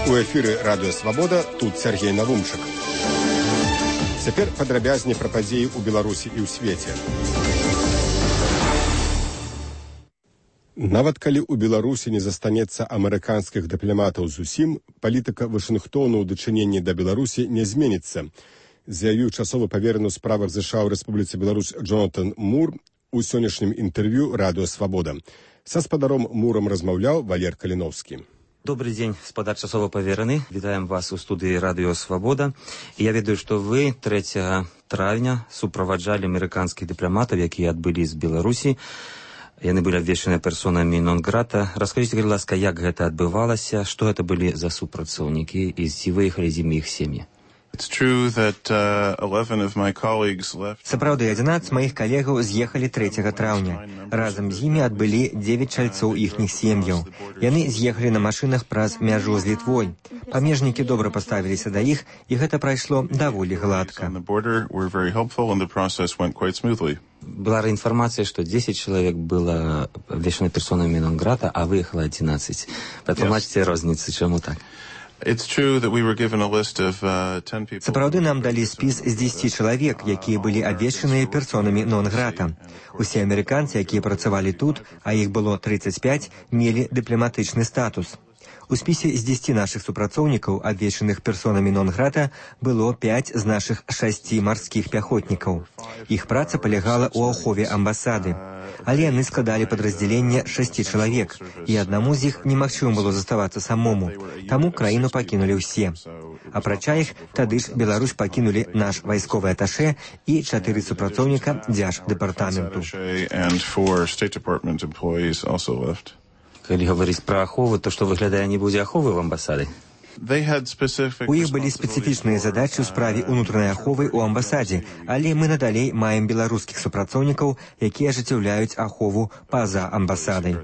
У эфіры радыё Свабода, тут Сергей Навумчык. Цяпер падрабязней пра падзеі ў Беларусі і ў свеце. Нават калі ў Беларусі не застанецца амерыканскіх дыпламатаў зусім, палітыка Вашынгтону ў дачыненні да Беларусі не зменіцца, заявіў часовы павераны ў справах ЗША ў Рэспубліцы Беларусь Джонатан Мур у сённяшнім інтэрв'ю радыё Свабода. Са спадаром Мурам размаўляў Валер Каліновскі. Добрый день, спадар часова павераны. Вітаем вас у студыі радыё Свабода. Я ведаю, што вы 3 травня суправаджалі амерыканскіх дыпламатаў, якія адбылі з Беларусі. Яны былі абвешчаны персонамі нон-грата. Раскажыце, калі ласка, як гэта адбывалася, што гэта былі за супрацоўнікі і ці выехалі з імі іх сем'і? Сапраўды, 11 маіх калегаў з'ехалі 3 траўня. Разам з імі адбылі 9 чальцоў іхніх сем'яў. Яны з'ехалі на машынах праз мяжу з Літвой. Памежнікі добра паставіліся да іх, і гэта прайшло даволі гладка. Была інфармацыя, што 10 чалавек было абвешчана персонамі нон-грата, а выехала 11. Патлумачце розніцу, чаму так? Сапраўды нам далі спіс з 10 чалавек, якія былі абвешчаныя персонамі нон-грата. Усе амерыканцы, якія працавалі тут, а іх было 35, мелі дыпламатычны статус. У спісе з 10 нашых супрацоўнікаў, абвешчаных персонамі нон-грата, было 5 з нашых 6 марскіх пяхотнікаў. Іх праца палягала ў ахове амбасады. Але яны складалі падраздзяленне 6 чалавек, і аднаму з іх немагчыма было заставацца самому. Таму краіну пакінулі ўсе. Апрача іх, тады ж Беларусь пакінулі наш вайсковы аташэ і 4 супрацоўніка дзярждэпартаменту. Калі гаварыць пра ахову, то што выглядае не будзе аховы в амбасады? У іх былі спецыфічныя задачы ў справе ўнутранай аховы ў амбасадзе, але мы надалей маем беларускіх супрацоўнікаў, якія ажыццяўляюць ахову па-за амбасадай.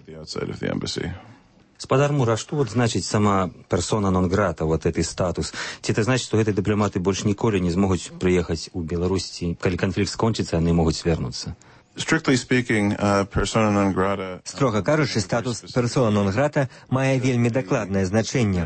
Спадар Мур, а што значыць сама персона нон-грата, гэты статус? Ці это значыць, што гэтыя дыпламаты больш ніколі не змогуць прыехаць у Беларусь, ці калі канфлікт скончыцца, яны могуць вярнуцца? Строга кажучы, статус персона нон-грата мае вельмі дакладнае значэнне.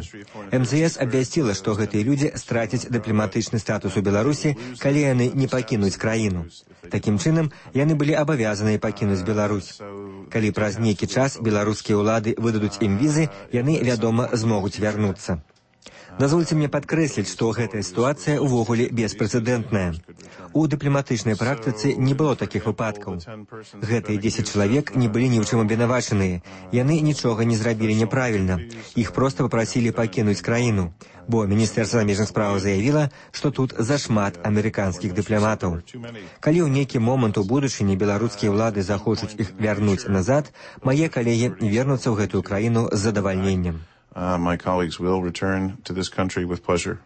МЗС абвясціла, што гэтыя людзі страцяць дыпламатычны статус у Беларусі, калі яны не пакінуць краіну. Такім чынам, яны былі абавязаныя пакінуць Беларусь. Калі праз нейкі час беларускія ўлады выдадуць ім візы, яны, вядома, змогуць вярнуцца. Дазвольце мне падкрэсліць, што гэтая сітуацыя ўвогуле беспрэцэдэнтная. У дыпламатычнай практыцы не было такіх выпадкаў. Гэтыя 10 чалавек не былі ні ў чым абвінавачаныя. Яны нічога не зрабілі няправільна. Іх проста папрасілі пакінуць краіну. Бо Міністэрства замежных спраў заявіла, што тут зашмат амерыканскіх дыпламатаў. Калі ў нейкі момант у будучыні беларускія ўлады захочуць іх вярнуць назад, мае калегі вернуцца ў гэтую краіну з задавальненнем. My colleagues will return to this country with pleasure.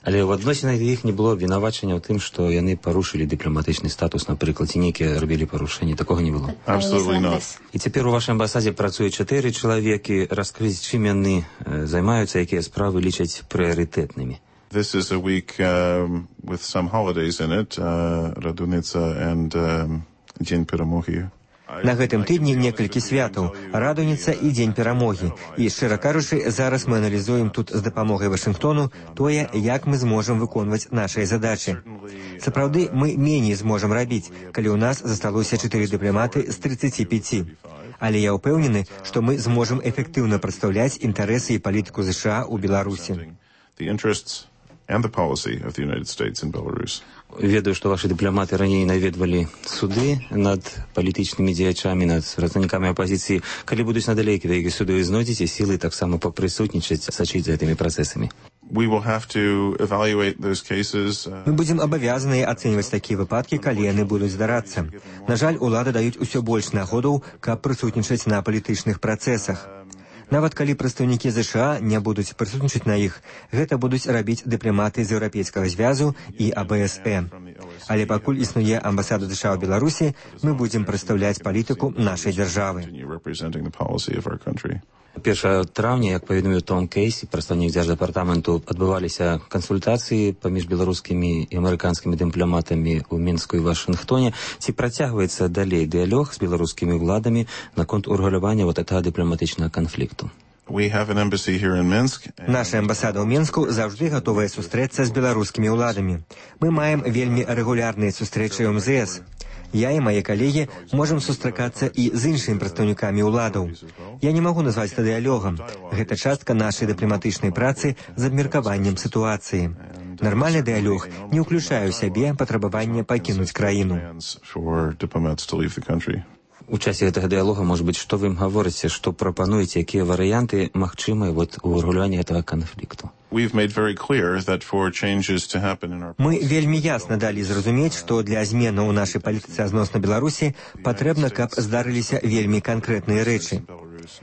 Але ў адносінах іх не было абвінавачання ў тым, што яны парушылі дыпламатычны статус, напрыклад, ці нейкія рабілі парушэнні. Такога не было. Absolutely not. І цяпер у вашай амбасадзе працуе 4 чалавекі. Раскрыць, чым яны займаюцца, якія справы лічаць прыярытэтнымі. This is a week with some holidays in it, Радуніца and Дзень перамогі. На гэтым тыдні некалькі святаў, Радуніца і Дзень перамогі. І, шчыра кажучы, зараз мы аналізуем тут з дапамогай Вашынгтону тое, як мы зможам выконваць нашыя задачы. Сапраўды, мы меней зможам рабіць, калі ў нас засталося 4 дыпламаты з 35. Але я ўпэўнены, што мы зможам эфектыўна прадстаўляць інтарэсы і палітыку ЗША ў Беларусі. Ведаю, што вашы дыпламаты раней наведвалі суды над палітычнымі дзеячамі, над прадстаўнікамі апазіцыі. Калі будуць надалей такія суды, вы знойдзеце сілы таксама папрысутнічаць, сачыць за гэтымі працэсамі? Мы будзем абавязаныя ацэньваць такія выпадкі, калі яны будуць здарацца. На жаль, улады даюць усё больш нагодаў, каб прысутнічаць на палітычных працэсах. Нават калі прадстаўнікі ЗША не будуць прысутнічаць на іх, гэта будуць рабіць дыпламаты з Еўрапейскага звязу і АБСЭ. Але пакуль існуе амбасада ЗША ў Беларусі, мы будзем прадстаўляць палітыку нашай дзяржавы. 1 траўня, як паведаміў Том Кейсі, прадстаўнік дзярждэпартаменту, адбываліся кансультацыі паміж беларускімі і амерыканскімі дыпламатамі ў Мінску і Вашынгтоне. Ці працягваецца далей дыялог з беларускімі ўладамі наконт урэгулявання гэтага дыпламатычнага канфлікту? Наша амбасада ў Мінску заўжды гатовая сустрэцца з беларускімі ўладамі. Мы маем вельмі рэгулярныя сустрэчы ў МЗС. Я і мае калегі можам сустракацца і з іншымі прадстаўнікамі ўладаў. Я не магу назваць это дыялогам. Гэта частка нашай дыпламатычнай працы з абмеркаваннем сітуацыі. Нармальны дыялог не ўключае ў сябе патрабаванне пакінуць краіну. У часе гэтага дыялога, может быть, што вы ім гаворыце, што прапануеце, якія варыянты магчымыя у рэгуляванні гэтага канфлікту? Мы вельмі ясна далі зразумець, што для зменаў у нашай палітыцы адносна Беларусі патрэбна, каб здарыліся вельмі канкрэтныя рэчы.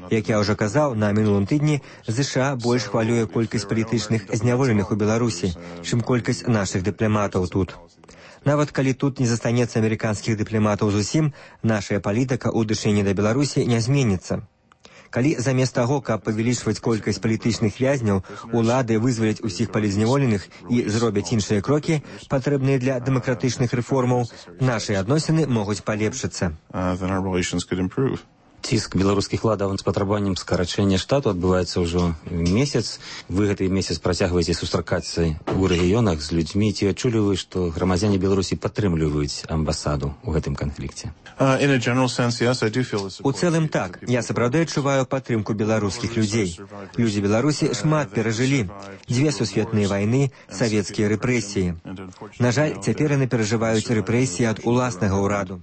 Як я ўжо казаў, на мінулым тыдні ЗША больш хвалюе колькасць палітычных зняволеных у Беларусі, чым колькасць нашых дыпламатаў тут. Нават калі тут не застанецца амерыканскіх дыпламатаў зусім, нашая палітыка ў дачыненні да Беларусі не зменіцца. Калі замест таго, каб павялічваць колькасць палітычных вязняў, улады вызваляць усіх палізняволеных і зробяць іншыя крокі, патрэбныя для дэмакратычных рэформаў, нашыя адносіны могуць палепшыцца. Ціск беларускіх уладаў з патрабаваннем скарачэння штату адбываецца ўжо месяц. Вы гэты месяц працягваеце сустракацца ў рэгіёнах з людзьмі. Ці адчулі вы, што грамадзяне Беларусі падтрымліваюць амбасаду ў гэтым канфлікце? У цэлым так. Я сапраўды адчуваю падтрымку беларускіх людзей. Людзі Беларусі шмат перажылі. 2 сусветныя вайны, савецкія рэпрэсіі. На жаль, цяпер яны перажываюць рэпрэсіі ад уласнага ўраду.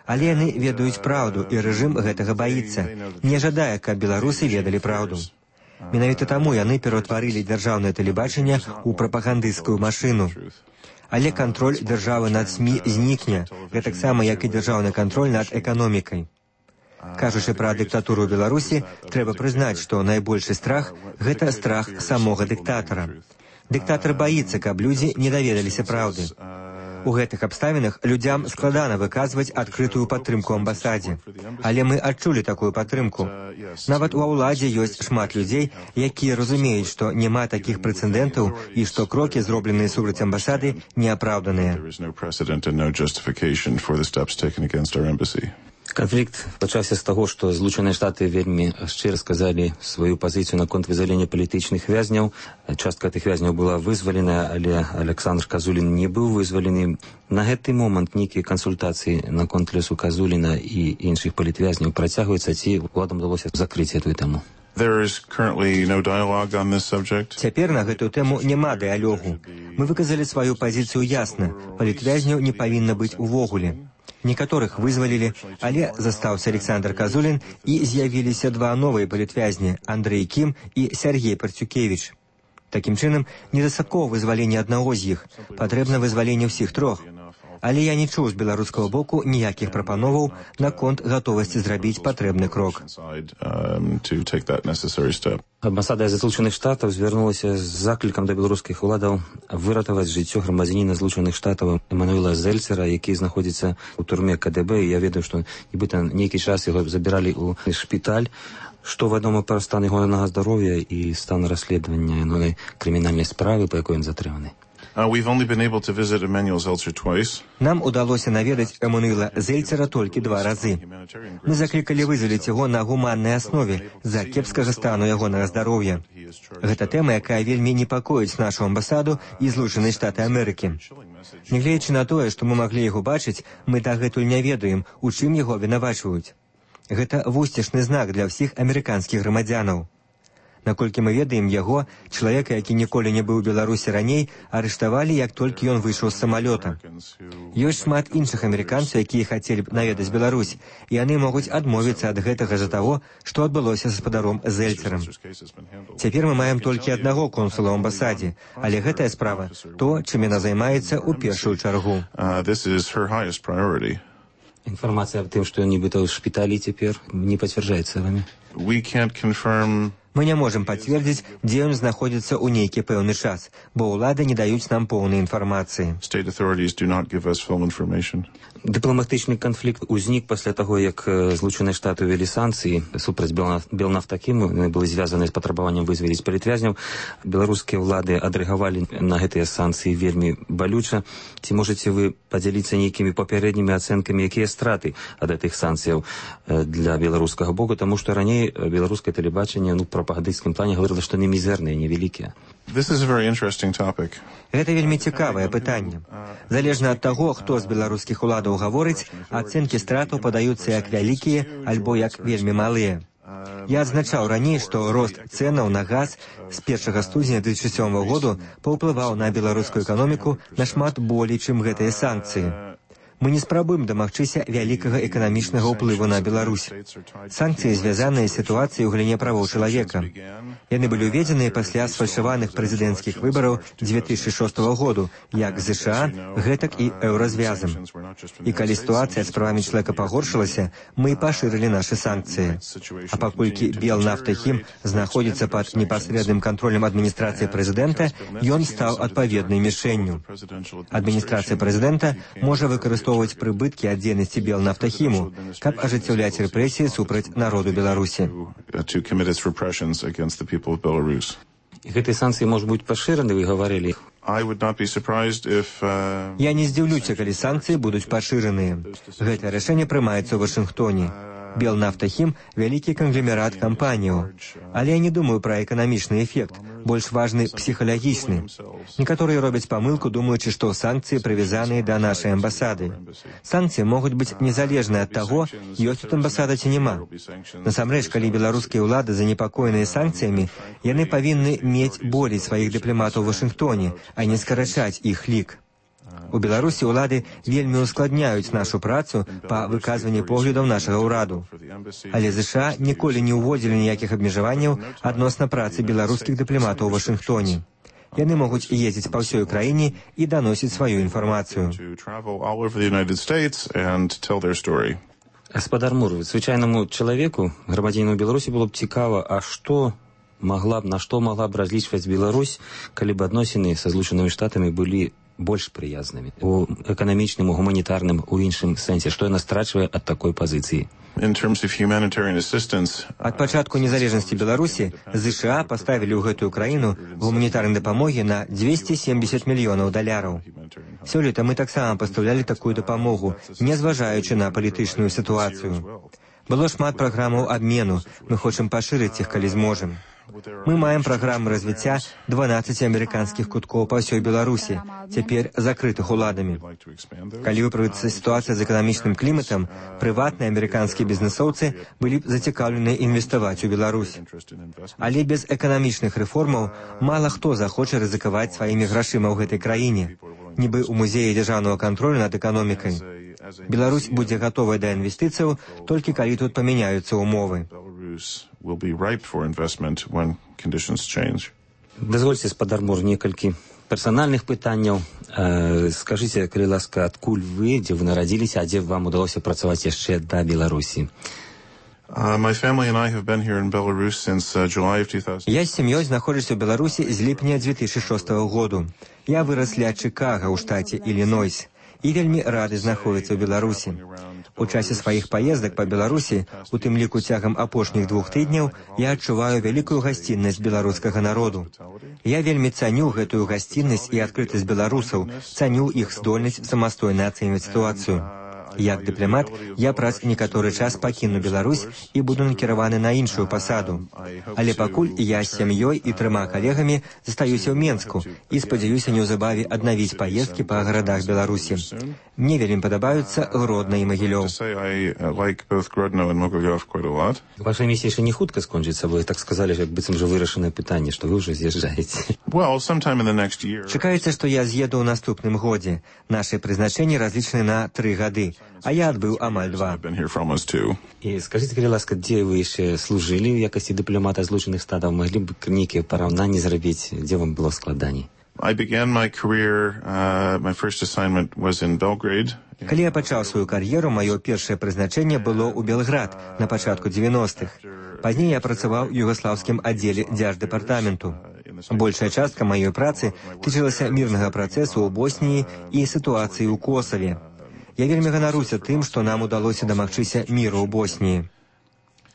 Але яны ведаюць праўду, і рэжым гэтага баіцца. Не жадае, каб беларусы ведалі праўду. Менавіта таму яны пераўтварылі дзяржаўнае тэлебачанне ў прапагандысцкую машыну. Але кантроль дзяржавы над СМІ знікне, гэтаксама, як і дзяржаўны кантроль над эканомікай. Кажучы пра дыктатуру ў Беларусі, трэба прызнаць, што найбольшы страх – гэта страх самога дыктатара. Дыктатар баіцца, каб людзі не даведаліся праўды. У гэтых абставінах людзям складана выказваць адкрытую падтрымку амбасадзе. Але мы адчулі такую падтрымку. Нават ва ўладзе ёсць шмат людзей, якія разумеюць, што няма такіх прэцэдэнтаў і што крокі, зробленыя супраць амбасады, неапраўданыя. Канфлікт пачаўся з таго, што Злучаныя Штаты вельмі шчыра сказалі сваю пазіцыю наконт вызвалення палітычных вязняў. Частка тых вязняў была вызвалена, але Александр Казулін не быў вызвалены. На гэты момант нейкія кансультацыі наконт лёсу Казуліна і іншых палітвязняў працягваюцца, ці уладам удалося закрыць гэтую тэму? Цяпер на гэтую тэму няма дыялогу. Мы выказалі сваю пазіцыю ясна. Палітвязняў не павінна быць увогуле. Некаторых вызвалілі, але застаўся Александр Казулін і з'явіліся 2 новыя палітвязні – Андрэй Кім і Сяргей Парцюкевіч. Такім чынам, недастаткова вызвалення аднаго з іх, патрэбна вызваленне ўсіх 3. Але я не чуў з беларускага боку ніякіх прапановаў наконт гатовасці зрабіць патрэбны крок. Амбасада Злучаных Штатаў звярнулася з заклікам да беларускіх уладаў выратаваць жыццё грамадзяніна Злучаных Штатаў Эммануэла Зельцера, які знаходзіцца ў турме КДБ. Я ведаю, што нібыта нейкі час яго забіралі ў шпіталь. Што вядома пра стан ягонага здароўя і стан расследавання крымінальнай справы, па якой ён затрыманы? Нам удалося наведаць Эммануэла Зельцера толькі 2 разы. Мы заклікалі вызваліць яго на гуманнай аснове з-за кепскага стану ягонага здароўя. Гэта тэма, якая вельмі непакоіць нашу амбасаду і Злучаныя Штаты Амерыкі. Нягледзячы на тое, што мы маглі яго бачыць, мы дагэтуль не ведаем, у чым яго абвінавачваюць. Гэта вусцішны знак для ўсіх амерыканскіх грамадзянаў. Наколькі мы ведаем яго, чалавека, які ніколі не быў у Беларусі раней, арыштавалі, як толькі ён выйшаў з самалёта. Ёсць шмат іншых амерыканцаў, якія хацелі б наведаць Беларусь, і яны могуць адмовіцца ад гэтага з-за таго, што адбылося з гаспадаром Зельцерам. Цяпер мы маем толькі аднаго консула ў амбасадзе, але гэтая справа – то, чым яна займаецца ў першую чаргу. Інфармацыя аб тым, што ён нібыта ў шпіталі цяпер, не пацвярджаецца вамі? Мы не можам пацвердзіць, дзе ён знаходзіцца ў нейкі пэўны час, бо ўлады не даюць нам поўнай інфармацыі. Дыпламатычны канфлікт узнік пасля таго, як Злучаныя Штаты ўвялі санкцыі супраць Белнафтакіму, яны былі звязаны з патрабаваннем вызваліць палітвязняў. Беларускія ўлады адрэагавалі на гэтыя санкцыі вельмі балюча. Ці можаце вы падзяліцца нейкімі папярэднімі ацэнкамі, якія страты ад гэтых санкцыяў для беларускага боку, таму што раней беларускае тэлебачанне прапагандысцкім плане гаварыла, што яны мізэрныя, невялікія. This is a very interesting topic. Гэта вельмі цікавае пытанне. Залежна ад таго, хто з беларускіх уладаў гаворыць, ацэнкі стратаў падаюцца як вялікія альбо як вельмі малыя. Я адзначаў раней, што рост цэнаў на газ з 1 студзеня 2007 году паўплываў на беларускую эканоміку нашмат болей, чым гэтыя санкцыі. Мы не спрабуем дамагчыся вялікага эканамічнага ўплыву на Беларусь. Санкцыі звязаныя з сітуацыяй у галіне правоў чалавека. Яны былі ўведзеныя пасля сфальшаваных прэзідэнцкіх выбараў 2006 году, як ЗША, гэтак і еўразвязам. І калі сітуацыя з правамі чалавека пагоршылася, мы пашырылі нашы санкцыі. А паколькі Белнафтахім знаходзіцца пад непасрэдным кантролем адміністрацыі прэзідэнта, ён стаў адпаведнай мішэнню. Адміністрацыя прэзідэнта можа выкарыстоўваць прыбыткі ад дзейнасці Белнафтахіму, каб ажыццяўляць рэпрэсіі супраць народу Беларусі. Гэтыя санкцыі можуць быць пашыраны, вы гаварылі. Я не здзіўлюся, калі санкцыі будуць пашыраныя. Гэтае рашэнне прымаецца ў Вашынгтоне. Белнафтахім – вялікі кангломерат кампаніяў. Але я не думаю пра эканамічны эфект, больш важны псіхалагічны. Некаторыя робяць памылку, думаючы, што санкцыі прывязаныя да нашай амбасады. Санкцыі могуць быць незалежныя ад таго, ёсць тут амбасада ці няма. Насамрэч, калі беларускія ўлады занепакоеныя санкцыямі, яны павінны мець болей сваіх дыпламатаў у Вашынгтоне, а не скарачаць іх лік. У Беларусі ўлады вельмі ускладняюць нашу працу па выказванні поглядаў нашага ўраду. Але ЗША ніколі не ўводзілі ніякіх абмежаванняў адносна працы беларускіх дыпламатаў у Вашынгтоне. Яны могуць ездзіць па ўсёй краіне і даносіць сваю інфармацыю. Гаспадар Мур, звычайнаму чалавеку, грамадзяніну Беларусі, было б цікава, на што могла б разлічваць Беларусь, калі б адносіны са Злучанымі Штатамі былі больш прыязнымі у эканамічным, у гуманітарным, у іншым сэнсе, што яна страчвае ад такой пазіцыі. Ад пачатку незалежнасці Беларусі ЗША паставілі ў гэтую краіну гуманітарнай дапамогі на $270 мільёнаў. Сёлета мы таксама пастаўлялі такую дапамогу, не зважаючы на палітычную сітуацыю. Было шмат праграмаў абмену, мы хочам пашырыць іх, калі зможам. Мы маем праграмы развіцця 12 амерыканскіх куткоў па ўсёй Беларусі, цяпер закрытых уладамі. Калі выправіцца сітуацыя з эканамічным кліматам, прыватныя амерыканскія бізнэсоўцы былі б зацікаўлены інвеставаць у Беларусь. Але без эканамічных рэформаў мала хто захоча рызыкаваць сваімі грашыма ў гэтай краіне. Нібы ў музеі дзяржаўнага кантролю над эканомікай. Беларусь будзе гатовая да інвестыцыяў толькі калі тут памяняюцца ўмовы. Дазвольце, гаспадар Мур, некалькі персанальных пытанняў. Скажыце, калі ласка, адкуль вы, дзе вы нарадзіліся, а дзе вам удалося працаваць яшчэ да Беларусі? Я з сям'ёй знаходжуся ў Беларусі з ліпня 2006 году. Я вырас ля Чикаго ў штаце Іллінойс і вельмі рады знаходзіцца ў Беларусі. У часе сваіх паездак па Беларусі, у тым ліку цягам апошніх 2 тыдняў, я адчуваю вялікую гасціннасць беларускага народу. Я вельмі цаню гэтую гасціннасць і адкрытасць беларусаў, цаню іх здольнасць самастойна ацэньваць сітуацыю. Як дыпламат, я праз некаторы час пакіну Беларусь і буду накіраваны на іншую пасаду. Але пакуль я з сям'ёй і 3 калегамі застаюся ў Менску і спадзяюся неўзабаве аднавіць паездкі па гарадах Беларусі. Мне вельмі падабаюцца Гродна і Магілёў. Ваша місія яшчэ не хутка скончыцца, вы так сказалі, як быццам жа вырашанае пытанне, што вы ўжо з'язджаеце. Чакаецца, што я з'еду ў наступным годзе. Нашы прызначэнні разлічаны на 3 гады, а я адбыў амаль 2. І скажыце, калі ласка, дзе вы яшчэ служылі ў якасці дыпламата Злучаных Штатаў? Маглі б нейкія параўнанні зрабіць, дзе вам было складаней? Калі я пачаў сваю кар'еру, маё першае прызначэнне было ў Белград на пачатку 90-х. Пазней я працаваў у югаслаўскім аддзеле дзярждэпартаменту. Большая частка маёй працы тычылася мірнага працэсу ў Босніі і сітуацыі ў Косаве. Я вельмі ганаруся тым, што нам удалося дамагчыся міру ў Босніі.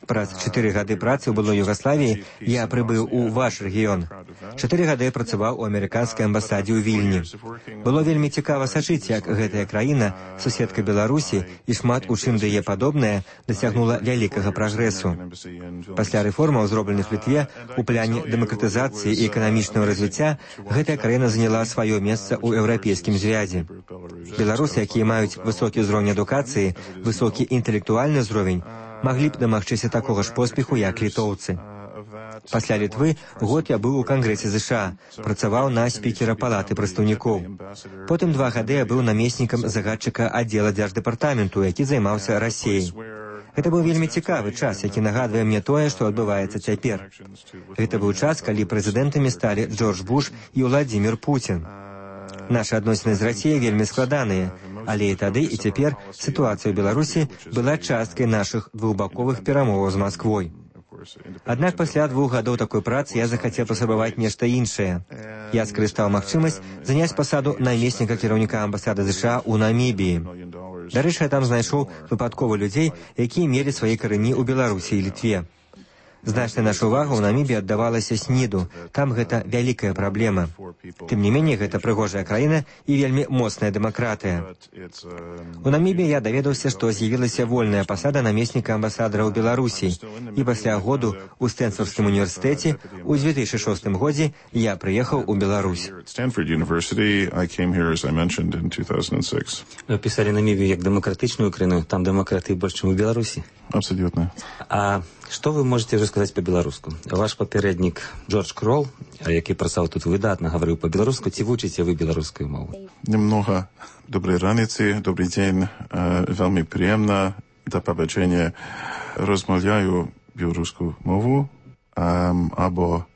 Праз 4 гады працы ў былой Югаславіі я прыбыў у ваш рэгіён. 4 гады працаваў у амерыканскай амбасадзе ў Вільні. Было вельмі цікава сачыць, як гэтая краіна, суседка Беларусі і шмат у чым да яе падобная, дасягнула вялікага прагрэсу. Пасля рэформаў, зробленых Літве, у плане дэмакратызацыі і эканамічнага развіцця, гэтая краіна заняла сваё месца ў еўрапейскім звязе. Беларусы, якія маюць высокі ўзровень адукацыі, высокі інтэлектуальны ўзровень, маглі б дамагчыся такога ж поспеху, як літоўцы. Пасля Літвы год я быў у Кангрэсе ЗША, працаваў на спікера палаты прадстаўнікоў. Потым 2 гады я быў намеснікам загадчыка аддзела дзярждэпартаменту, які займаўся Расіяй. Гэта быў вельмі цікавы час, які нагадвае мне тое, што адбываецца цяпер. Гэта быў час, калі прэзідэнтамі сталі Джордж Буш і Владзімір Пуцін. Нашы адносіны з Расіяй вельмі складаныя, але і тады, і цяпер сітуацыя ў Беларусі была часткай нашых двухбаковых перамоваў з Масквой. Аднак пасля 2 гадоў такой працы я захацеў паспрабаваць нешта іншае. Я скарыстаў магчымасць заняць пасаду намесніка кіраўніка амбасады ЗША ў Намібіі. Дарэчы, я там знайшоў выпадкова людзей, якія мелі свае карані ў Беларусі і Літве. Значная наша ўвага ў Намібіі аддавалася СНІДу. Там гэта вялікая праблема. Тым не меней, гэта прыгожая краіна і вельмі моцная дэмакратыя. У Намібіі я даведаўся, што з'явілася вольная пасада намесніка амбасадара ў Беларусі. І пасля году ў Стэнфордскім універсітэце ў 2006 годзе я прыехаў у Беларусь. Вы пісалі Намібію як дэмакратычную краіну, там дэмакратыі больш, чым у Беларусі? Абсолютно. А што вы можете сказаць па-беларуску? Ваш папярэднік Джордж Крол, які працаваў тут выдатна, гаварыў па-беларуску, ці вучыце вы беларускую мову? Немного. Добрай раніцы, добрый дзень. Вельмі прыемна да пабачэння. Розмаўляю беларускую мову, або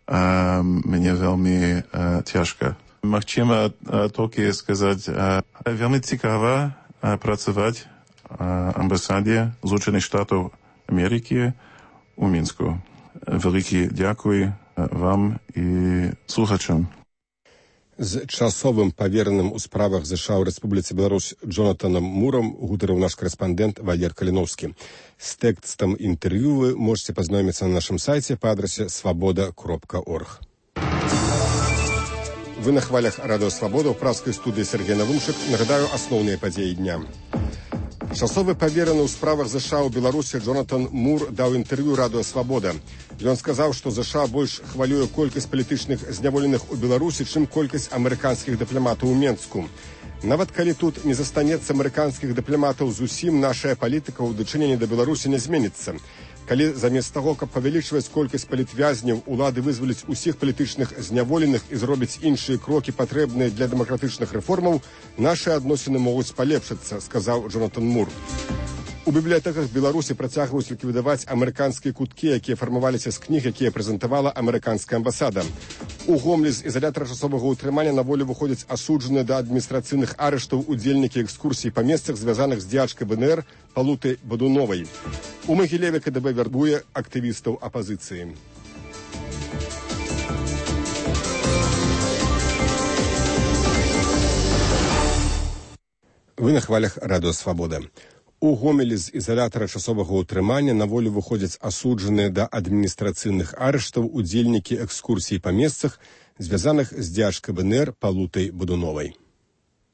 мне вельмі цяжка. Магчыма толькі сказаць, вельмі цікава працаваць амбасаде Злучених Штатів Америки у Мінську. Велике дякую вам і слухачам. З часовым павераным у справах ЗША ў Рэспубліцы Беларусь Джонатанам Мурам гутарыў наш корэспандэнт Валер Каліновскі. З тэкстам інтэрв'ю вы можете пазнаёміцца на нашым сайце па адрасе свабода.орг. Вы на хвалях Радыё Свабода ў праскай студыі Сергей Навумчык. Нагадаю асноўныя падзеі дня. Часовы павераны ў справах ЗША ў Беларусі Джонатан Мур даў інтэрв'ю Радыё Свабода. Ён сказаў, што ЗША больш хвалюе колькасць палітычных зняволеных у Беларусі, чым колькасць амерыканскіх дыпламатаў у Менску. Нават калі тут не застанецца амерыканскіх дыпламатаў зусім, нашая палітыка ў дачыненні да Беларусі не зменіцца. Калі замест таго, каб павялічваць колькасць палітвязняў, улады вызваляць усіх палітычных зняволеных і зробяць іншыя крокі, патрэбныя для дэмакратычных рэформаў, нашы адносіны могуць палепшыцца, сказаў Джонатан Мур. У бібліятэках Беларусі працягваюць ліквідаваць амерыканскія куткі, якія фармаваліся з кніг, якія прэзентавала амерыканская амбасада. У Гомлі з ізалятара часовага ўтрымання на волю выходзяць асуджаныя да адміністрацыйных арыштаў удзельнікі экскурсій па месцах, звязаных з дзячкай БНР Палутай Бадуновай. У Магілеве КДБ вярбуе актывістаў апазіцыі. Вы на хвалях Радыё Свабода. У Гомелі з ізалятара часовага ўтрымання на волю выходзяць асуджаныя да адміністрацыйных арыштаў удзельнікі экскурсій па месцах, звязаных з дзячкай БНР Палутай Бадуновай.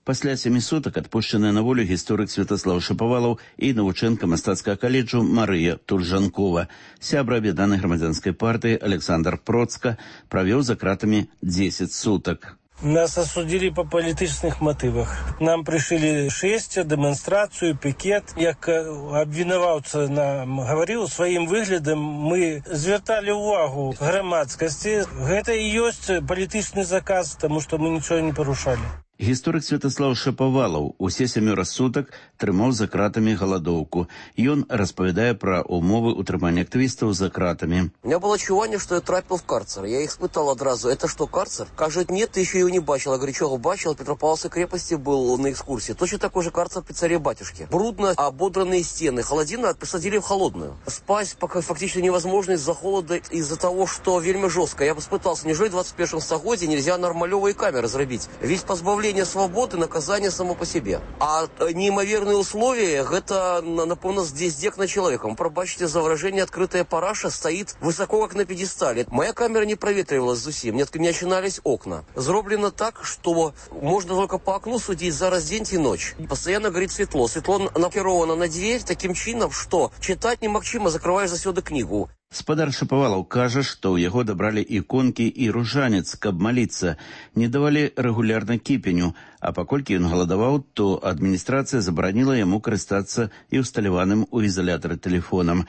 Пасля 7 сутак адпушчаная на волю гісторык Святаслаў Шапавалаў і навучэнка мастацкага каледжу Марыя Тульжанкова. Сябра аб'яднанай грамадзянскай партыі Александр Процка правёў за кратамі 10 сутак. Нас осудили по политических мотивах. Нам пришили шествие, демонстрацию, пикет. Як обвинувавца нам говорил, своим выглядом мы звертали увагу громадскости. Это и есть политичный заказ, потому что мы ничего не порушали. Гісторык Святаслаў Шапавалаў усе 7 сутак трымаў за кратамі галадоўку. Ён распавядае пра умовы утрымання актывістаў за кратамі. У меня было ощущение, что я трапил в карцер. Я их испытал одразу. Это что, карцер? Кажут, нет, ты еще его не бачил. Я говорю, чего бачил? В Петропавловской крепости был на экскурсии. Точно такой же карцер при царе-батюшке. Брудно ободранные стены. Холодильник посадили в холодную. Спать пока фактически невозможно из-за холода, из-за того, что вельми жестко. Я бы испытался, неужели в 21 стагодзе нельзя нормалевые камеры зробить? Ведь позбавление позбавление свободы наказание само по себе. А неимоверные условия, это, напомню, здесь дек на человеком. Пробачьте за выражение, открытая параша стоит высоко, как на пьедестале. Моя камера не проветривалась зусим, не начинались окна. Зроблено так, что можно только по окну судить зараз день и ночь. Постоянно горит светло. Светло накировано на дверь таким чином, что читать немагчыма, закрываешь засёды книгу. Спадар Шапавалаў кажа, што ў яго дабралі іконкі і ружанец, каб маліцца. Не давалі рэгулярна кіпеню, а паколькі ён галадаваў, то адміністрацыя забараніла яму карыстацца і ўсталяваным у ізалятары тэлефонам.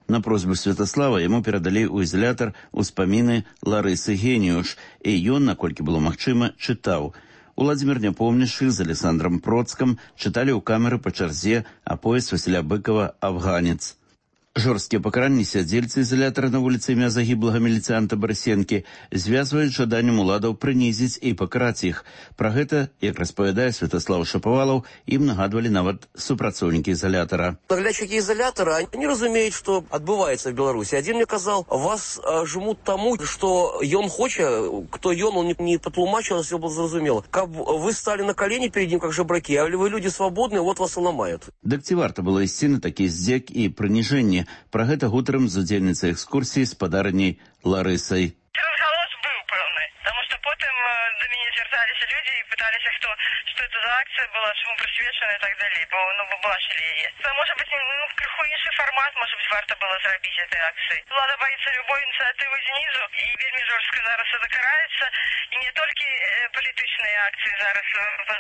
На просьбу Святаслава яму перадалі ў ізалятар успаміны Ларысы Геніюш, і ён, наколькі было магчыма, чытаў. Уладзімір Няпомнішчы з Александром Процкам чыталі ў камеры па чарзе аповесць Васіля Быкова «Афганец». Жорсткія пакаранні сядзельцы ізалятара на вуліцы імя загіблага міліцыянта Барысенкі звязваюць жаданнем уладаў прынізіць і пакараць іх. Пра гэта, як распавядае Святаслав Шапавалаў, ім нагадвалі нават супрацоўнікі ізалятара. Наглядчики изолятора, они разумеют, что отбывается в Беларуси. Один мне сказал, вас жмут тому, что ён хочет, кто ён, он не потлумачил, все было зразумело. Как вы стали на колени перед ним, как жебраки, а вы люди свободные, вот вас и ломают. Дык ці варта было ісці на такі здзек і прыніжэнне? Пра гэта гутарам з удзельніцай экскурсіі спадарняй Ларысай. Разголос был пэўны, потому что потым до мяне звярталіся людзі і пыталіся, что это за акция была, чему прысвечана и так далее, бо вы бачили яе. Может быть, крыху іншы формат, может быть, варта было зрабіць этой акции. Влада боится любой инициативы снизу, и вельмі жорстка зараз это караецца, и не только політычныя акции зараз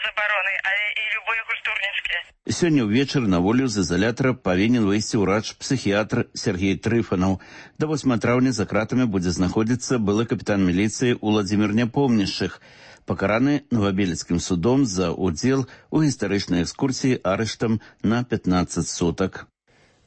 забароны, а и любые культурніцкія. Сёння ўвечары на волю з ізалятара павінен выйсці ўрач-псіхіятр Сергей Трыфанаў. До 8 траўня за кратамі будзе знаходзіцца былы капітан міліцыі Уладзімір Няпомнішчых, пакараны Новабелецкім судом за удзел у гістарычнай экскурсіі арыштам на 15 сутак.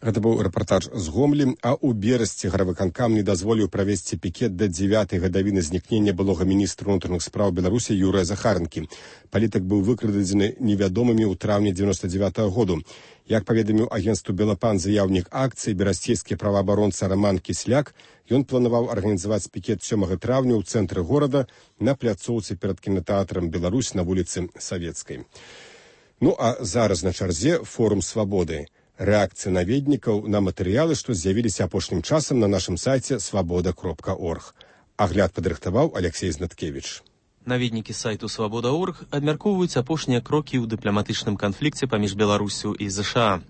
Гэта быў рэпартаж з Гомлі, а ў берасці гарвыканкам не дазволіў правесці пікет да 9-й гадавіны знікнення былога міністра ўнутраных спраў Беларусі Юрыя Захарынкі. Палітык быў выкрадзены невядомымі ў траўні 99-го году. Як паведаміў агенцтву «Белапан» заяўнік акцыі, берасцейскі праваабаронца Роман Кісляк, ён планаваў арганізаваць пікет 7 траўня ў цэнтры горада на пляцоўцы перад кінатэатрам «Беларусь» на вуліцы Савецкай. Ну а зараз на чарзе форум «Свабоды». Рэакцыя наведнікаў на матэрыялы, што з'явіліся апошнім часам на нашым сайце свабода.орг. Агляд падрыхтаваў Алексей Знаткевіч. Наведнікі сайту «Свабода.орг» абмяркоўваюць апошнія крокі ў дыпламатычным канфлікце паміж Беларусю і ЗША.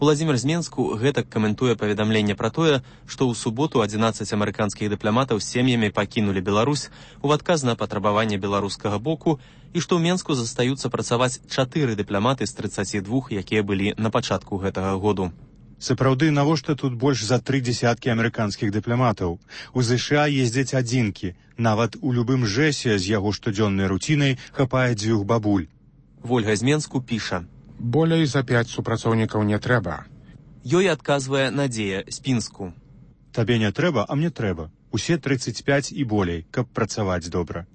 Уладзімір з Менску гэтак каментуе паведамленне пра тое, што ў суботу 11 амерыканскіх дыпламатаў з сем'ямі пакінулі Беларусь у адказ на патрабаванне беларускага боку і што ў Менску застаюцца працаваць 4 дыпламаты з 32, якія былі на пачатку гэтага году. Сапраўды, навошта тут больш за 3 дзясяткі амерыканскіх дыпламатаў? У ЗША ездзяць адзінкі. Нават у любым жэсе з яго штодзённай руцінай хапае 2 бабуль. Вольга з Менску піша. Болей за 5 супрацоўнікаў не трэба. Ёй адказвае Надзея з Пінску. Табе не трэба, а мне трэба. Усе 35 і болей, каб працаваць добра.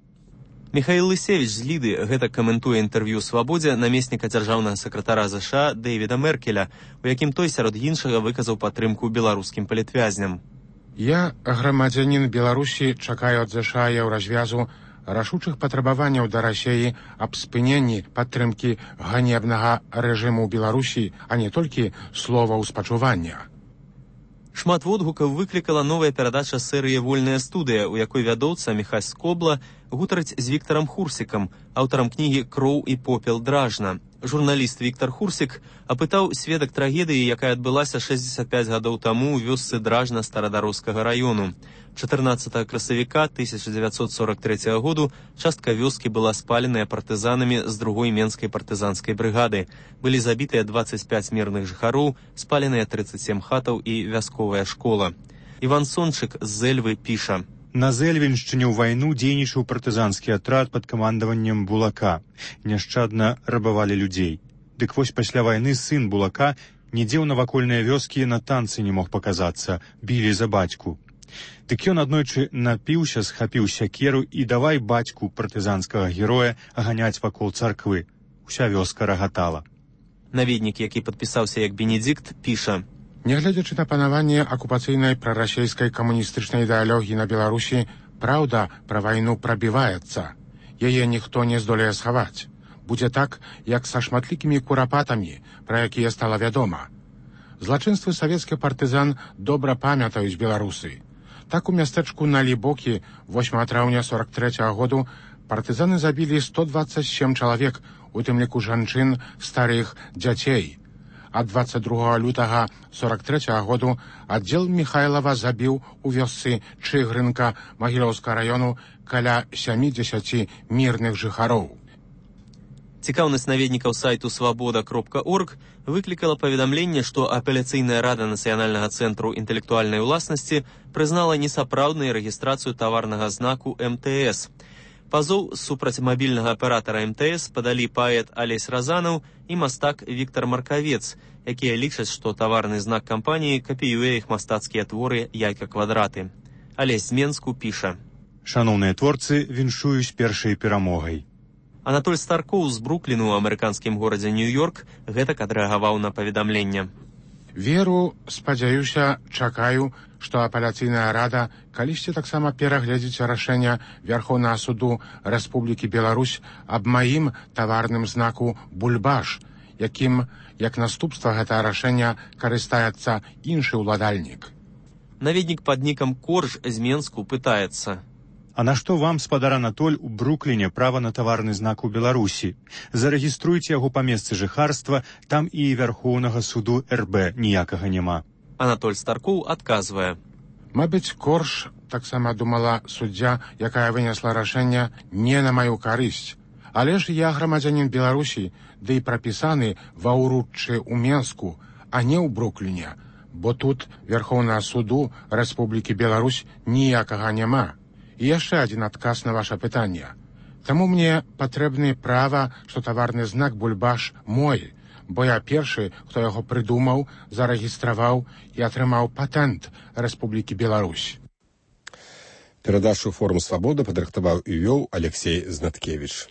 Михаил Лысевич з Ліды гэта каментуе інтэрв'ю «Свабодзе» намесніка дзяржаўнага сакратара ЗША Дэвіда Меркеля, у якім той сярод іншага выказаў падтрымку беларускім палітвязням. Я, грамадзянін Беларусі, чакаю ад ЗША еўразвязу рашучых патрабаванняў да Расіі аб спыненні падтрымкі ганебнага рэжыму ў Беларусі, а не толькі слова ўспачування. Шмат водгукаў выклікала новая перадача серыі «Вольная студыя», у якой вядоўца Міхась Скобла гутарыць з Віктарам Хурсікам, аўтарам кнігі «Кроў і попел дражна». Журналіст Віктар Хурсік апытаў сведак трагедыі, якая адбылася 65 гадоў таму ў вёсцы Дражна Старадароскага раёну. 14 красавіка 1943 году частка вёскі была спаленая партызанамі з 2-й Менскай партызанскай брыгады. Былі забітыя 25 мірных жыхароў, спаленыя 37 хатаў і вясковая школа. Іван Сончык з Зэльвы піша. На Зэльвеншчыне ў вайну дзейнічаў партызанскі атрад пад камандаваннем Булака. Няшчадна рабавалі людзей. Дык вось пасля вайны сын Булака нідзе ў навакольныя вёскі на танцы не мог паказацца, білі за бацьку. Дык ён аднойчы напіўся, схапіў сякеру і давай бацьку партызанскага героя аганяць вакол царквы. Уся вёска рагатала. Наведнік, які падпісаўся як Бенедикт, піша. Нягледзячы на панаванне акупацыйнай прарасійскай камуністычнай ідэалогіі на Беларусі, праўда пра вайну прабіваецца. Яе ніхто не здолее схаваць. будзе так, як са шматлікімі курапатамі, пра якія стала вядома. Злачынствы савецкіх партызан добра памятаюць беларусы. Так у мястэчку Налібокі 8 траўня 43 году партызаны забілі 127 чалавек, у тым ліку жанчын, старых, дзяцей. А 22 лютага 43 году аддзел Міхайлава забіў у вёсцы Чыгрынка Магілёўскага раёну каля 70 мірных жыхароў. Цікаўнасць наведнікаў сайту свабода.орг выклікала паведамленне, што апеляцыйная рада Нацыянальнага цэнтру інтэлектуальнай уласнасці прызнала несапраўднай рэгістрацыю таварнага знаку МТС. Пазоў супраць мабільнага аператара МТС падалі паэт Алесь Разанаў і мастак Віктар Маркавец, якія лічаць, што таварны знак кампаніі капіюе іх мастацкія творы «Яйка-квадраты». Алесь з Менску піша: «Шаноўныя творцы, віншую з першай перамогай». Анатоль Старкоў з Брукліну ў амерыканскім горадзе Нью-Йорк гэтак адрэагаваў на паведамленне. Веру, спадзяюся, чакаю, што апеляцыйная рада калісьці таксама перагледзіць рашэнне Вярхоўнага суду Рэспублікі Беларусь аб маім таварным знаку «Бульбаш», якім, як наступства гэтага рашэння, карыстаецца іншы ўладальнік. Наведнік пад нікам Корж з Менску пытаецца: «А на што вам, спадар Анатоль, у Брукліне права на таварны знак у Беларусі? Зарэгіструйце яго па месцы жыхарства, там і Вярхоўнага суду РБ ніякага няма». Анатоль Старкоў адказвае: «Мабыць, Корж таксама думала суддзя, якая вынесла рашэнне не на маю карысць. Але ж я грамадзянін Беларусі, ды і прапісаны ва ўруччы ў Менску, а не ў Брукліне, бо тут Вярхоўнага суду Рэспублікі Беларусь ніякага няма. І яшчэ адзін адказ на ваша пытанне. Таму мне патрэбны права, што таварны знак «Бульбаш» мой, бо я першы, хто яго прыдумаў, зарэгістраваў і атрымаў патэнт Рэспублікі Беларусь». Перадачу «Форум Свабода» падрыхтаваў і вёў Алексей Знаткевіч.